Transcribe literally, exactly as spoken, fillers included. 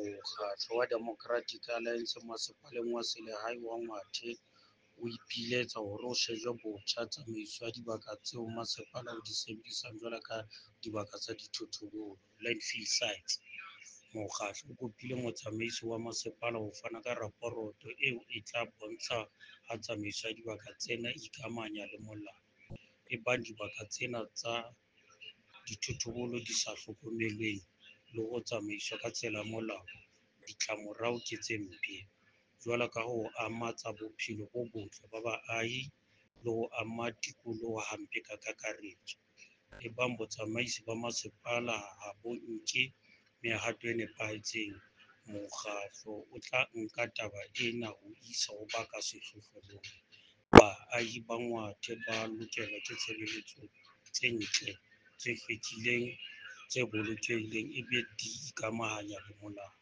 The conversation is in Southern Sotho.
Mokgatlo wa Democratic Alliance Masepaleng wa Selehae wa Ngwathe o ipiletsa hore ho shejwe botjha tsamaiso ya dibaka tseo masepala o di sebedisang jwalo ka dibaka tsa dithotobolo, landfill sites. Mokgatlo o kopile motsamaisi wa masepala ho fana ka raporoto eo e tla bontsha ha tsamaiso ya dibaka tsena e ikamahanya le molao. Ebang dibaka tsena tsa dithotobolo di sa hlokomelweng le ho tsamaiswa ka tsela ya molao, ditlamorao ke tse mpe, jwalo ka ho ama tsa bophelo bo botle ba baahi le ho ama tikoloho hampe ka kakaretso. Ebang botsamaisi ba masepala ha bo nke mehato e nepahetseng, mokgatlo o tla nka taba ena ho e isa ho ba ka sehlohlolong. Baahi ba Ngwathe ba lokelwa ke tshebeletso tse ntle, tse hlwekileng, tse bolokehileng ebe di ikamahanya le molao.